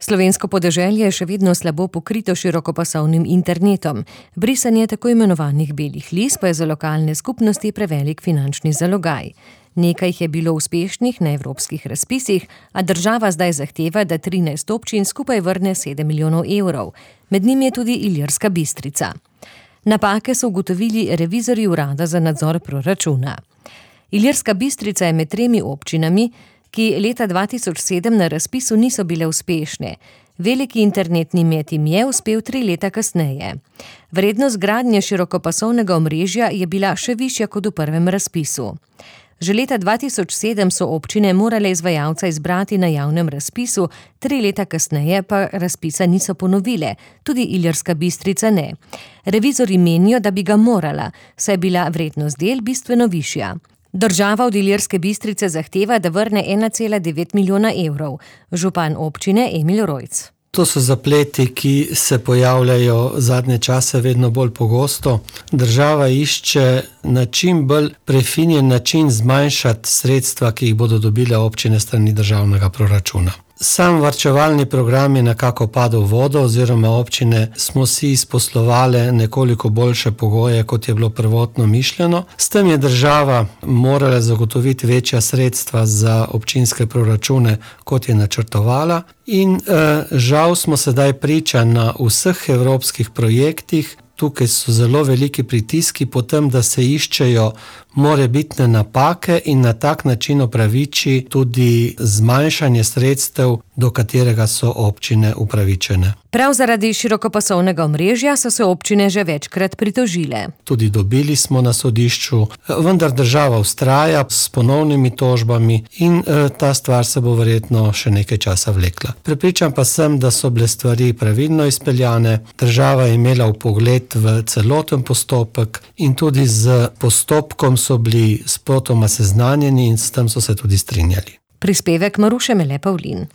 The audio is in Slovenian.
Slovensko podeželje je še vedno slabo pokrito širokopasovnim internetom. Brisanje tako imenovanih belih lis pa je za lokalne skupnosti prevelik finančni zalogaj. Nekaj jih je bilo uspešnih na evropskih razpisih, a država zdaj zahteva, da 13 občin skupaj vrne 7 milijonov evrov. Med njimi je tudi Ilirska Bistrica. Napake so ugotovili revizorji Urada za nadzor proračuna. Ilirska Bistrica je med 3 občinami, ki leta 2007 na razpisu niso bile uspešne. Veliki internetni met jim je uspel 3 leta kasneje. Vrednost gradnje širokopasovnega omrežja je bila še višja kot v prvem razpisu. Že leta 2007 so občine morale izvajalca izbrati na javnem razpisu, 3 leta kasneje pa razpisa niso ponovile, tudi Ilirska Bistrica ne. Revizorji menijo, da bi ga morala, saj je bila vrednost del bistveno višja. Država od Ilirske Bistrice zahteva, da vrne 1,9 milijona evrov. Župan občine Emil Rojc. To so zapleti, ki se pojavljajo zadnje čase vedno bolj pogosto. Država išče na čim bolj prefinjen način zmanjšati sredstva, ki jih bodo dobile občine strani državnega proračuna. Sam varčevalni program je nekako padel v vodo, oziroma občine smo si izposlovale nekoliko boljše pogoje, kot je bilo prvotno mišljeno. S tem je država morala zagotoviti večja sredstva za občinske proračune, kot je načrtovala. In žal smo sedaj priča na vseh evropskih projektih. Tukaj so zelo veliki pritiski po tem, da se iščejo morebitne napake in na tak način opraviči tudi zmanjšanje sredstev, do katerega so občine upravičene. Prav zaradi širokopasovnega omrežja so se občine že večkrat pritožile. Tudi dobili smo na sodišču, vendar država vztraja s ponovnimi tožbami in ta stvar se bo verjetno še nekaj časa vlekla. Prepričan pa sem, da so bile stvari pravilno izpeljane, država je imela vpogled v celoten postopek in tudi z postopkom so bili spotoma seznanjeni in s tem so se tudi strinjali. Prispevek Maruše Mele Pavlin.